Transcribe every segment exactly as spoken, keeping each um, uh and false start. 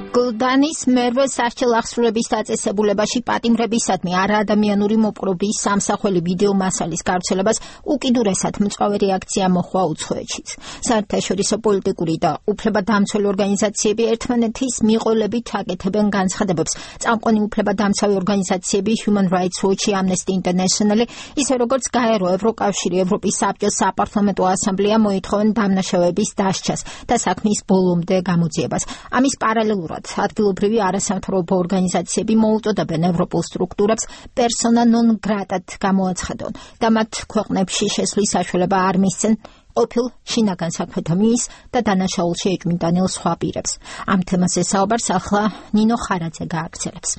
გლდანის მერვე სასჯელ აღსრულების დაწესებულებაში პატიმრებისადმი არაადამიანური მოპყრობის სამსახველი ვიდეო მასალის გავრცელებას უკიდურესად მწვავე რეაქცია მოჰყვა უცხოეთშიც. საერთაშორისო პოლიტიკური და უფლებადამცველი ორგანიზაციები ერთმანეთის მიყოლებით აკეთებენ განცხადებებს. წამყვანი უფლებადამცავი ორგანიზაციები Human Rights Watch, Amnesty International, ისე როგორც გაერო ევროკავშირი, ევროპის საბჭოს საპარლამენტო ასამბლეა მოითხოვენ დამნაშავეების დასჯას და საქმის ბოლომდე გამოძიებას. ამის პარალელურად ადგილობრივი არასამთავრობო ორგანიზაციები მოუწოდებენ ევროპულ სტრუქტურებს persona non grata-ად გამოაცხადონ და მათ ქვეყნებში შესვლის საშუალება არ მისცენ ყოფილ შინაგან საქმეთა მინისტრს და დანაშაულში ეჭვმიტანილ სხვა პირებს. ამ თემაზე საუბარს ახლა ნინო ხარაძე გააგრძელებს.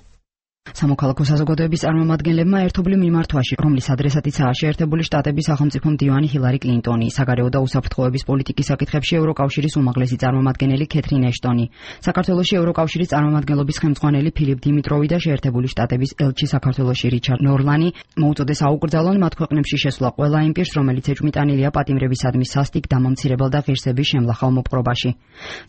სამოქალაქო საზოგადოების წარმომადგენლებმა ერთობლივ მიმართვაში, რომლის ადრესატიცაა შეერთებული შტატების სახელმწიფო მდივანი ჰილარი კლინტონი, საგარეო და უსაფრთხოების პოლიტიკის საკითხებში ევროკავშირის უმაღლესი წარმომადგენელი კეთრინ ეშტონი, საქართველოში ევროკავშირის წარმომადგენლობის ხელმძღვანელი ფილიპ დიმიტროვი და შეერთებული შტატების ელჩი საქართველოში რიჩარდ ნორლანი მოუწოდეს აუკრძალონ მათ ქვეყნებში შესვლა ყველა იმ პირს, რომელიც ეჭვმიტანილია პატიმრებისადმი სასტიკ, დამამცირებელ და ღირსების შემლახავ მოპყრობაში.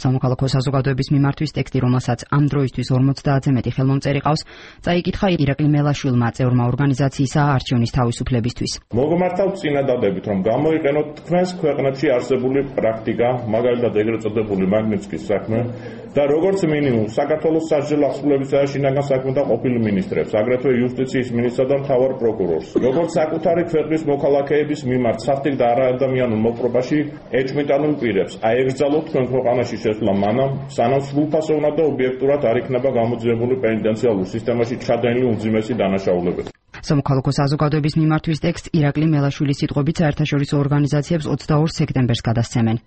სამოქალაქო საზოგადოების მიმართვის ტექსტი, რომელსაც ამ დროისთვის ორმოცდაათზე მეტი ხელმომწერი ყავს, წაიკითხა ირაკლი მელაშვილმა, წევრმა ორგანიზაციისა არჩევნის თავისუფლებისთვის. მოგმართავთ წინადადებით, რომ გამოიყენოთ თქვენს ქვეყნებში არსებული პრაქტიკა, მაგალითად ეგრეთ წოდებული მაგნიტსკის საქმე და როგორც მინიმუმ საქართველოს სასჯელ აღსრულებისა და შინაგან საქმეთა ყოფილ მინისტრებს, აგრეთვე იუსტიციის მინისტრსა და მთავარ პროკურორს, როგორც საკუთარი ქვეყნის მოქალაქეების მიმართ სასტიკ და არაადამიანურ მოპყრობაში ეჭვმიტანილ პირებს აეგრძალოთ თქვენ ქვეყანაში შესვლა მანამ, სანამ სრულფასოვნად და ობიექტურად არ იქნება გამოძიებული პენიტენციალურ სისტემაში ჩადენილი უმძიმესი დანაშაულებები. სამოქალაქო საზოგადოების მიმართვის ტექსტ ირაკლი მელაშვილის სიტყვებით საერთაშორისო ორგანიზაციებს ოცდაორ სექტემბერს გადასცემენ.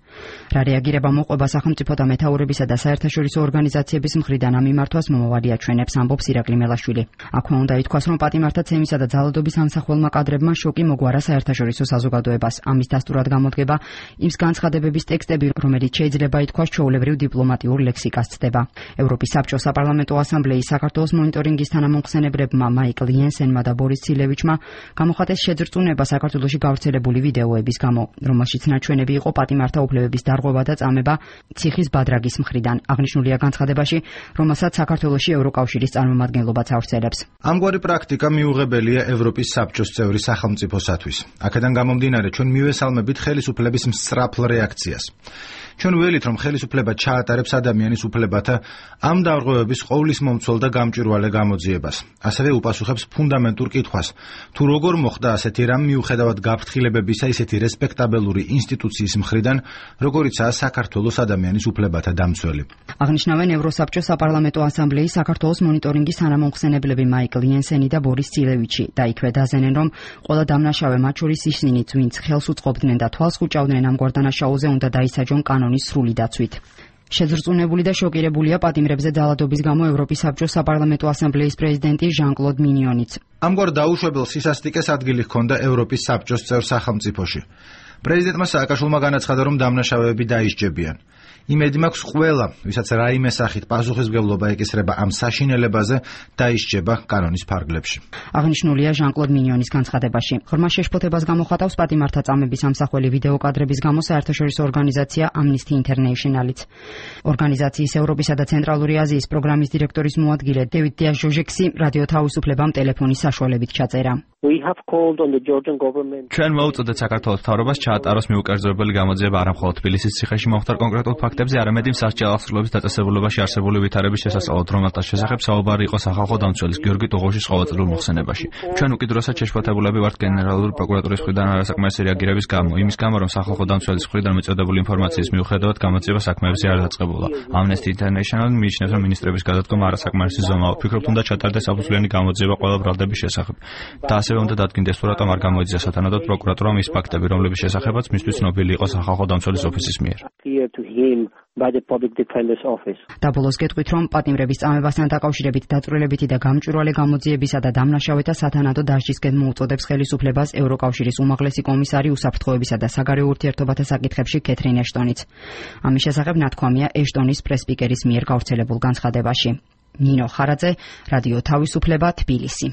რა რეაგირება მოყვება სახელმწიფო და მეთაურებისა და საერთაშორისო ორგანიზაციების მხრიდან ამ მიმართვას მომავალი აჩვენებს, ამბობს ირაკლი მელაშვილი. აქვე უნდა ითქვას, რომ პატიმართა ცემისა და ძალადობის ამსახველმა კადრებმა შოკი მოგვარა საერთაშორისო საზოგადოებას. ამის დასტურად გამოდგება იმ განცხადებების ტექსტები, რომელიც შეიძლება ითქვას ჩვეულებრივ დიპლომატიურ ლექსიკას ცდება. ევროპის საბჭოს საპარლამენტო ასამბლეის საქართველოს მონიტორინგის თანამომხსენებლებმა მაიკლ იენსენმა და ბორის ცილევიჩმა გამოხატეს შეძრწუნება საქართველოში გავრცელებული ვიდეოების გამო, რომელშიც ნაჩვენები იყო პატიმართა უფლებების დარღვევა და წამება ციხის ბადრაგის მხრიდან. აღნიშნულია განცხადებაში, რომელსაც საქართველოში ევროკავშირის წარმომადგენლობაც ავრცელებს. ამგვარი პრაქტიკა მიუღებელია ევროპის საბჭოს წევრი სახელმწიფოსათვის. აქედან გამომდინარე, ჩვენ მივესალმებით ხელისუფლების მსწრაფლ რეაქციას. ჩვენ ველით, რომ ხელისუფლება ჩაატარებს ადამიანის უფლებათა ამ დარღვევების ყოვლის მომცველ და გამჭვირვალე გამოძიებას. ასევე უპასუხებს ფუნდამენტურ კითხვას, თუ როგორ მოხდა ასეთი რამ მიუხედავად გაფრთხილებებისა ისეთი რესპექტაბელური ინსტიტუციის მხრიდან, როგორიცაა საქართველოს ადამიანის უფლებათა დამცველი. აღნიშნავენ ევროსაბჭოს საპარლამენტო ასამბლეის საქართველოს მონიტორინგის თანამომხსენებლები მაიკლ იენსენი და ბორის ცილევიჩი და იქვე დაზენენ, რომ ყველა დამნაშავე, მათ შორის ისინიც, ვინც ხელს უწყობდნენ და თვალს ხუჭავდნენ ამგვარ დანაშაულზე, უნდა დაისაჯონ კანონის სრული დაცვით. შეძრწუნებული და შოკირებულია პატიმრებზე ძალადობის გამო ევროპის საბჭოს საპარლამენტო ასამბლეის პრეზიდენტი ჟან-კლოდ მინიონიც. ამგვარ დაუშვებელ სისასტიკეს ადგილი ჰქონდა ევროპის საბჭოს წევრ სახელმწიფოში. პრეზიდენტმა სააკაშვილმა განაცხადა, რომ დამნაშავეები დაისჯებიან. იმედი მაქვს ყველა, ვისაც რაიმე სახით პასუხისმგებლობა ეკისრება ამ საშინელებაზე, დაისჯება კანონის ფარგლებში. აღნიშნულია ჟან-კლოდ მინიონის განცხადებაში. ღრმა შეშფოთებას გამოხატავს პატიმართა წამების ამსახველი ვიდეო კადრების გამო საერთაშორისო ორგანიზაცია Amnesty International-იც. ორგანიზაციის ევროპისა და ცენტრალური აზიის პროგრამის დირექტორის მოადგილე დევიდ დიას-ჟოჟექსი რადიო თავისუფლებამ ტელეფონის საშუალებით ჩაწერა. ჩვენ მოუწოდეთ საქართველოს მთავრობას ჩაატაროს მიუკერძოებელი გამოძიება არა მხოლოდ თბილისის ციხეში მომხდარ კონკრეტულ ფაქტებზე, არამედ იმ სასჯელ აღსრულების დაწესებულებაში არსებული ვითარების შესასწავლად, რომელთაც შესახებ საუბარი იყო სახალხო დამცველის გიორგი ტუღოშის ყოველწლიურ მოხსენებაში. ჩვენ უკიდურესად შეშფოთებულები ვართ გენერალური პროკურატურის მხრიდან არასაკმარისი რეაგირების გამო, იმის გამო, რომ სახალხო დამცველის მხრიდან მიწოდებული ინფორმაციის მიუხედავად გამოძიება საქმეებზე არ დაწყებულა. Amnesty International მიიჩნევს, რომ მინისტრების გადადგომა არასაკმარისი ზომაა. ვფიქრობთ, უნდა ჩატარდეს საფუძვლიანი გამოძიება ყველა ბრალდების შესახებ. და ასევე უნდა დადგინდეს, თუ რატომ არ გამოიძიეს სათანადოდ პროკურატურამ ის ფაქტები, რომლების შესახებაც მისთვის ცნობილი იყო სახალხო დამცველის ოფისის მიერ. და ბოლოს გეტყვით, რომ პატიმრების წამებასთან დაკავშირებით დაწვრილებითი და გამჭვირვალე გამოძიებისა და დამნაშავეთა სათანადო დასჯისკენ მოუწოდებს ხელისუფლებას ევროკავშირის უმაღლესი კომისარი უსაფრთხოებისა და საგარეო ურთიერთობათა საკითხებში კეთრინ ეშტონიც. ამის შესახებ ნათქვამია ეშტონის პრესპიკერის მიერ გავრცელებულ განცხადებაში. ნინო ხარაძე, რადიო თავისუფლება, თბილისი.